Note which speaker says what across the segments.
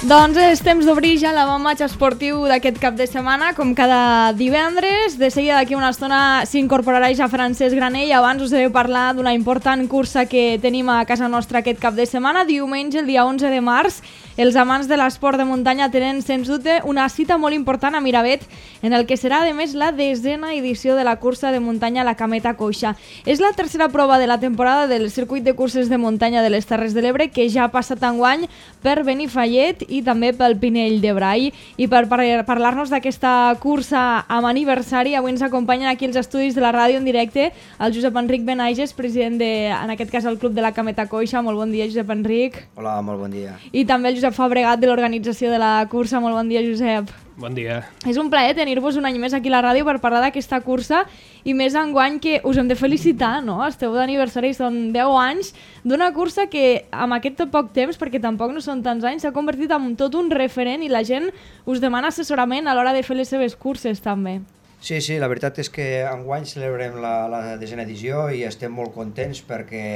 Speaker 1: Doncs és temps d'obrir ja l'avantmatx esportiu d'aquest cap de setmana, com cada divendres. De seguida d'aquí una estona s'incorporarà ja Francesc Granell. Abans us he de parlar d'una important cursa que tenim a casa nostra aquest cap de setmana. Diumenge, el dia 11 de març, els amants de l'esport de muntanya tenen, sens dubte, una cita molt important a Miravet, en el que serà, a més, la 10a edició de la cursa de muntanya La Cameta Coixa. És la tercera prova de la temporada del circuit de curses de muntanya de les Terres de l'Ebre, que ja ha passat enguany per Benifallet i també pel Pinell de Brai. I per parlar-nos d'aquesta cursa amb aniversari, avui ens acompanyen aquí els estudis de la ràdio en directe el Josep Enric Benaiges, president de, en aquest cas, el Club de la Cameta Coixa. Molt bon dia, Josep Enric.
Speaker 2: Hola, molt bon dia.
Speaker 1: I també el Josep Fabregat, de l'organització de la cursa. Molt bon dia, Josep.
Speaker 3: Bon dia.
Speaker 1: És un plaer tenir-vos un any més aquí a la ràdio per parlar d'aquesta cursa, i més enguany que us hem de felicitar, no? Esteu d'aniversari, són 10 anys d'una cursa que amb aquest poc temps, perquè tampoc no són tants anys, s'ha convertit en tot un referent i la gent us demana assessorament a l'hora de fer les seves curses també.
Speaker 2: Sí, la veritat és que enguany celebrem la 10a edició i estem molt contents perquè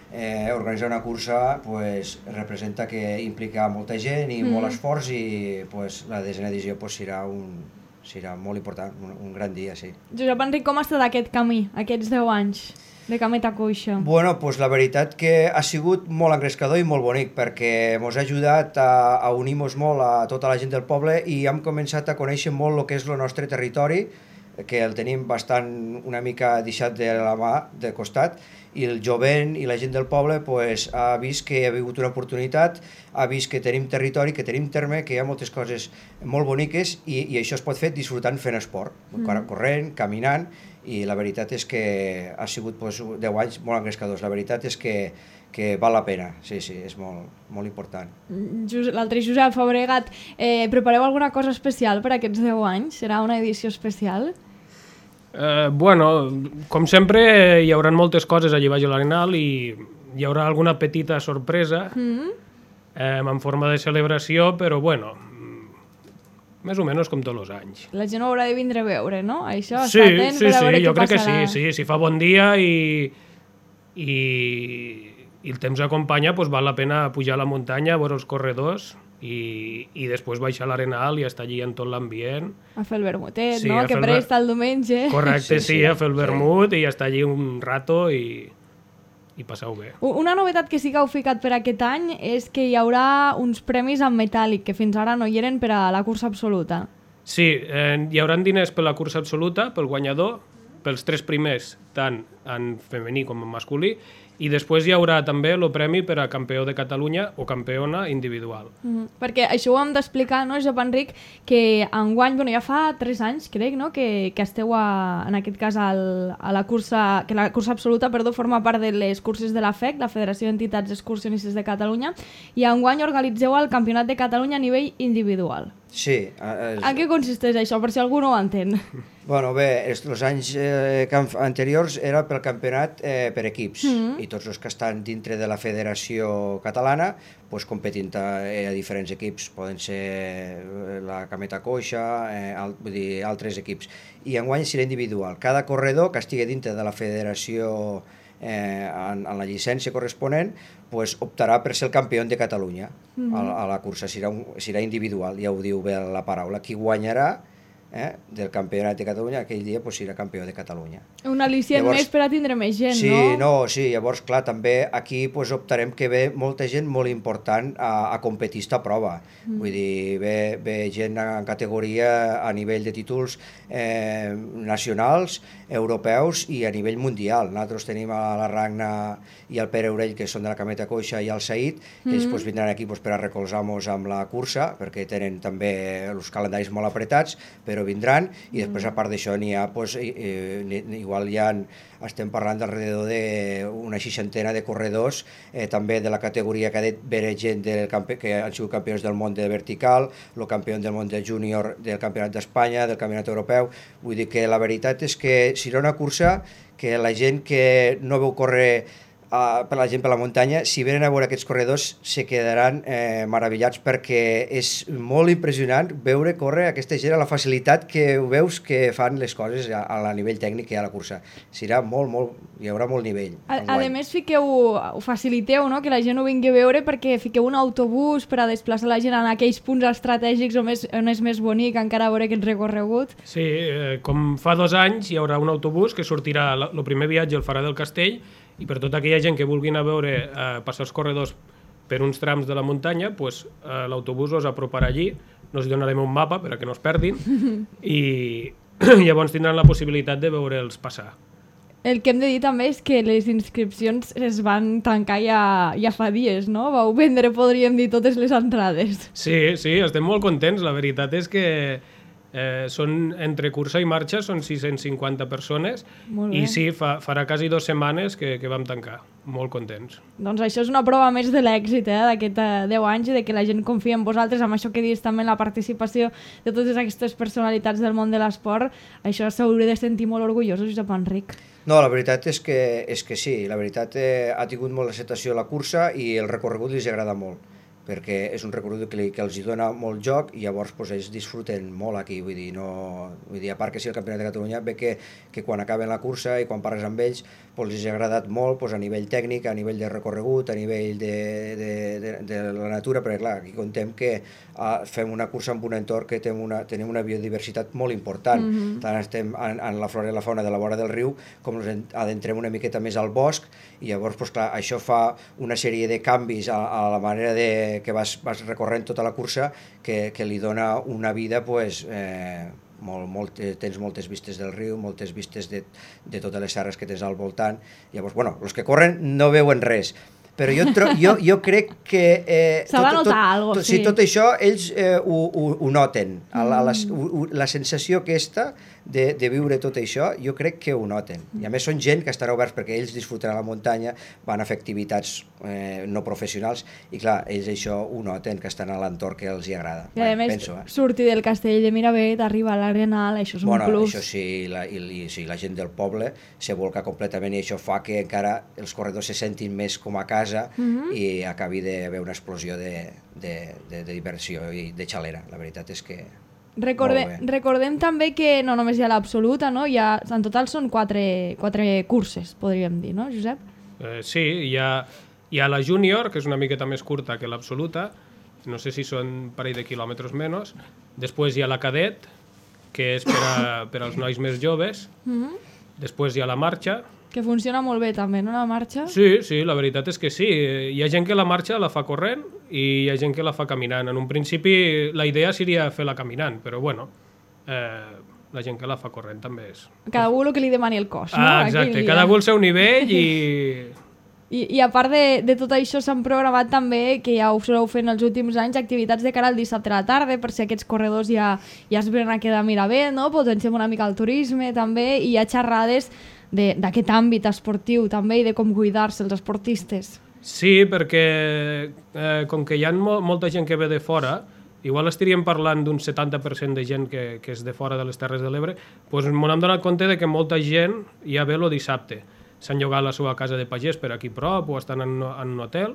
Speaker 2: organitzar una cursa pues, representa que implica molta gent i molt esforç, i pues, la 10a edició pues, serà molt important, un gran dia, sí.
Speaker 1: Josep Enric, com ha estat aquest camí, aquests 10 anys de Cameta Coixa?
Speaker 2: Bueno, pues, la veritat que ha sigut molt engrescador i molt bonic, perquè ens ha ajudat a unir-nos molt a tota la gent del poble i hem començat a conèixer molt el que és el nostre territori, que el tenim bastant una mica deixat de la mà, de costat, i el jovent i la gent del poble pues, ha vist que hi ha hagut una oportunitat, ha vist que tenim territori, que tenim terme, que hi ha moltes coses molt boniques i això es pot fer disfrutant fent esport, corrent, caminant, i la veritat és que ha sigut pues, 10 anys molt engrescadors. La veritat és que val la pena, sí, és molt important.
Speaker 1: L'altre Josep Fabregat, prepareu alguna cosa especial per aquests 10 anys? Serà una edició especial?
Speaker 3: Bueno, com sempre hi haurà moltes coses allà baix a l'Arenal i hi haurà alguna petita sorpresa en forma de celebració, però bueno, més o menys com tots els anys.
Speaker 1: La gent ho haurà de vindre a veure, no? Això,
Speaker 3: sí,
Speaker 1: està atent per a veure
Speaker 3: jo
Speaker 1: què
Speaker 3: crec
Speaker 1: passarà.
Speaker 3: que sí, si fa bon dia i el temps acompanya, doncs val la pena pujar a la muntanya, veure els corredors i després baixar a l'Arenal i estar allí en tot l'ambient.
Speaker 1: A fer el vermutet,
Speaker 3: sí,
Speaker 1: no? Que per ell està el diumenge.
Speaker 3: Correcte, sí, a fer el vermut i estar allí un rato i passar-ho bé.
Speaker 1: Una novetat que sí que heu ficat per aquest any és que hi haurà uns premis en metàl·lic que fins ara no hi eren per a la cursa absoluta.
Speaker 3: Sí, hi haurà diners per la cursa absoluta, pel guanyador, pels 3 primers, tant en femení com en masculí, i després hi haurà també el premi per a campió de Catalunya o campiona individual.
Speaker 1: Perquè això ho hem d'explicar, no, Josep Enric, que enguany, bueno, ja fa 3 anys, crec, no?, que esteu, en aquest cas, a la cursa, que la cursa absoluta, forma part de les curses de la FEC, la Federació d'Entitats Excursionistes de Catalunya, i enguany organitzeu el Campionat de Catalunya a nivell individual.
Speaker 2: Sí.
Speaker 1: En què consisteix això, per si algú no ho entén?
Speaker 2: Bueno, bé, els anys anteriors era pel campionat per equips, i tots els que estan dintre de la Federació Catalana pues, competint a diferents equips, poden ser la Cameta Coixa, vull dir, altres equips. I enguany serà individual. Cada corredor que estigui dintre de la Federació en la llicència corresponent pues, optarà per ser el campió de Catalunya a la cursa. Serà individual, ja ho diu bé la paraula. Qui guanyarà del campionat de Catalunya aquell dia pues, serà campió de Catalunya.
Speaker 1: Un al·licient més per a tindre més gent,
Speaker 2: no? Sí, llavors clar, també aquí pues, optarem que ve molta gent molt important a competir esta prova. Vull dir, ve gent en categoria a nivell de títols nacionals, europeus i a nivell mundial. Nosaltres tenim a la Ragna i el Pere Orell, que són de la Cameta Coixa, i el Saïd, que ells pues, vindran aquí pues, per a recolzar-nos amb la cursa, perquè tenen també els calendaris molt apretats, però vindran, i després a part d'això n'hi ha, pues, igual ja estem parlant d'alrededor d'una 60 de corredors, també de la categoria cadet, vera gent que han sigut campions del món de vertical, el campió del món del júnior del Campionat d'Espanya, del Campionat Europeu. Vull dir que la veritat és que serà una cursa que la gent que no veu córrer per la gent per la muntanya, si venen a veure aquests corredors se quedaran meravellats, perquè és molt impressionant veure córrer aquesta gent a la facilitat que ho veus que fan les coses a nivell tècnic que hi ha a la cursa. Serà hi haurà molt nivell.
Speaker 1: A més, ho faciliteu, no? Que la gent ho vingui a veure, perquè fiqueu un autobús per a desplaçar la gent en aquells punts estratègics on és més bonic encara veure aquest recorregut.
Speaker 3: Sí, com fa 2 anys hi haurà un autobús que sortirà el primer viatge al Fara del Castell, i per tota aquella gent que vulgui anar a veure passar els corredors per uns trams de la muntanya, pues, l'autobús us aproparà allí, nos donarem un mapa per a que no es perdin, i llavors tindran la possibilitat de veure'ls passar.
Speaker 1: El que hem de dir també és que les inscripcions es van tancar ja fa dies, no? Vau vendre, podríem dir, totes les entrades.
Speaker 3: Sí, estem molt contents. La veritat és que són entre cursa i marxa, són 650 persones, i sí, farà quasi 2 setmanes que vam tancar. Molt contents. Doncs
Speaker 1: això és una prova més de l'èxit d'aquest 10 anys i de que la gent confia en vosaltres, amb això que dius també en la participació de totes aquestes personalitats del món de l'esport. Això s'hauria de sentir molt orgullosos, Josep Enric.
Speaker 2: No, la veritat és que sí, la veritat ha tingut molt acceptació la cursa i el recorregut els agrada molt, perquè és un recorregut que els dona molt joc i llavors ells disfruten molt aquí, vull dir, a part que sí, el Campionat de Catalunya ve que quan acaben la cursa i quan parles amb ells els ha agradat molt a nivell tècnic, a nivell de recorregut, a nivell de la natura, perquè clar, aquí contem que fem una cursa amb un entorn que tenim una biodiversitat molt important, tant estem en la flora i la fauna de la vora del riu, com ens adentrem una miqueta més al bosc, i llavors clar, això fa una sèrie de canvis a la manera que vas recorrent tota la cursa que li dona una vida, tens moltes vistes del riu, moltes vistes de totes les serres que tens al voltant. Llavors, els que corren no veuen res, però jo crec que
Speaker 1: s'ha de notar alguna cosa.
Speaker 2: Sí, tot això ells ho noten, la sensació aquesta de viure tot això, jo crec que ho noten, i a més són gent que estarà oberts perquè ells disfruten a la muntanya, van a fer activitats no professionals, i clar, ells això ho noten, que estan a l'entorn que els hi agrada.
Speaker 1: I a més, sortir del castell de Miravet, arribar a l'Arenal, això és un plus.
Speaker 2: Això sí, la gent del poble se volca completament, i això fa que encara els corredors se sentin més com a casa i acabi d'haver una explosió de diversió i de xalera. La veritat és que
Speaker 1: recordem també que no només hi ha l'absoluta, no? En total són 4 curses, podríem dir, no, Josep?
Speaker 3: Sí, hi ha la júnior, que és una miqueta més curta que l'absoluta, no sé si són un parell de quilòmetres menys. Després hi ha la cadet, que és per als nois més joves. Després hi ha la marxa,
Speaker 1: que funciona molt bé també, no, la marxa?
Speaker 3: Sí, la veritat és que sí. Hi ha gent que la marxa la fa corrent i hi ha gent que la fa caminant. En un principi la idea seria fer-la caminant, però la gent que la fa corrent també és...
Speaker 1: Cada un el que li demani el cos, no?
Speaker 3: Exacte, cada un al seu nivell i...
Speaker 1: I a part de tot això s'han programat també, que ja ho soleu fer en els últims anys, activitats de cara al dissabte a la tarda, per si aquests corredors ja es venen a quedar a Miravet, no? Potenciem una mica el turisme també, i hi ha xerrades d'aquest àmbit esportiu també i de com cuidar-se els esportistes.
Speaker 3: Sí, perquè com que hi ha molta gent que ve de fora, igual estaríem parlant d'un 70% de gent que és de fora de les Terres de l'Ebre, doncs m'hem donat compte que molta gent ja ve el dissabte. S'han llogat la seva casa de pagès per aquí prop o estan en un hotel,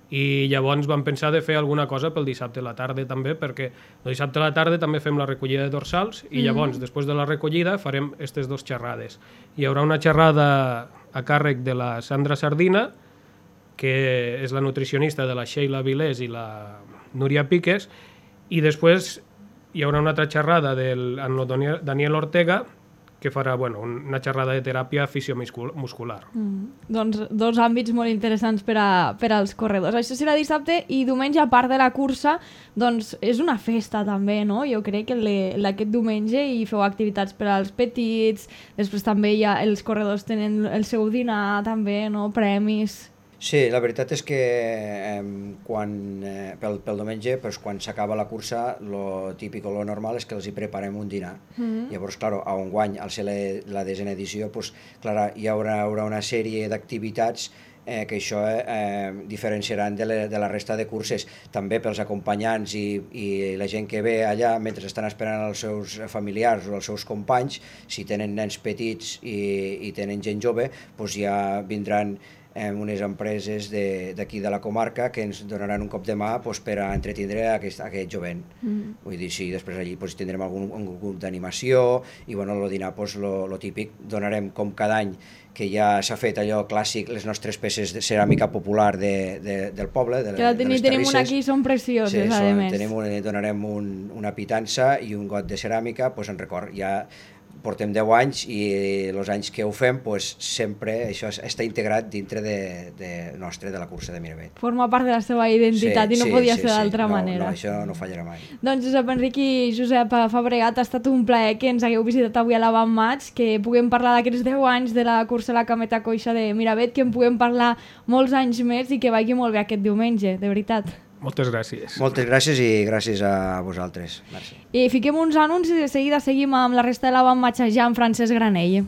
Speaker 3: i llavors vam pensar de fer alguna cosa pel dissabte a la tarda també, perquè el dissabte a la tarda també fem la recollida de dorsals, i llavors després de la recollida farem aquestes 2 xerrades. Hi haurà una xerrada a càrrec de la Sandra Sardina, que és la nutricionista de la Sheila Vilés i la Núria Piques, i després hi haurà una altra xerrada del Daniel Ortega, que farà una xerrada de teràpia fisiomuscular.
Speaker 1: Doncs 2 àmbits molt interessants per als corredors. Això serà dissabte, i diumenge, a part de la cursa, doncs és una festa també, no? Jo crec que aquest diumenge hi feu activitats per als petits, després també els corredors tenen el seu dinar també, no? Premis...
Speaker 2: Sí, la veritat és que pel diumenge, quan s'acaba la cursa, lo típic o lo normal és que els hi preparem un dinar. Llavors, clar, enguany, al ser la 10a edició, hi haurà una sèrie d'activitats que això diferenciaran de la resta de curses, també pels acompanyants i la gent que ve allà mentre estan esperant els seus familiars o els seus companys. Si tenen nens petits i tenen gent jove, ja vindran unes empreses d'aquí de la comarca que ens donaran un cop de mà per a entretindre aquest jovent. Vull dir, sí, després allí tindrem algun grup d'animació i el dinar, lo típic, donarem com cada any que ja s'ha fet allò clàssic, les nostres peces de ceràmica popular del poble, de les
Speaker 1: Tenim
Speaker 2: terrisses.
Speaker 1: una aquí, són precioses, a més.
Speaker 2: Donarem una pitança i un got de ceràmica en record. Ja portem 10 anys i els anys que ho fem sempre això està integrat dintre de la cursa de Miravet.
Speaker 1: Forma part de la seva identitat i no podia ser d'altra manera.
Speaker 2: No, això no fallarà mai.
Speaker 1: Doncs Josep Enric i Josep Fabregat, ha estat un plaer que ens hagueu visitat avui a l'Avant Maig, que puguem parlar d'aquests 10 anys de la cursa a la Cameta Coixa de Miravet, que en puguem parlar molts anys més i que vagi molt bé aquest diumenge, de veritat.
Speaker 3: Moltes gràcies.
Speaker 2: Moltes gràcies i gràcies a vosaltres. Merci.
Speaker 1: I fiquem uns anuncis i de seguida seguim amb la resta de l'Avant Maig ja amb Francesc Granell.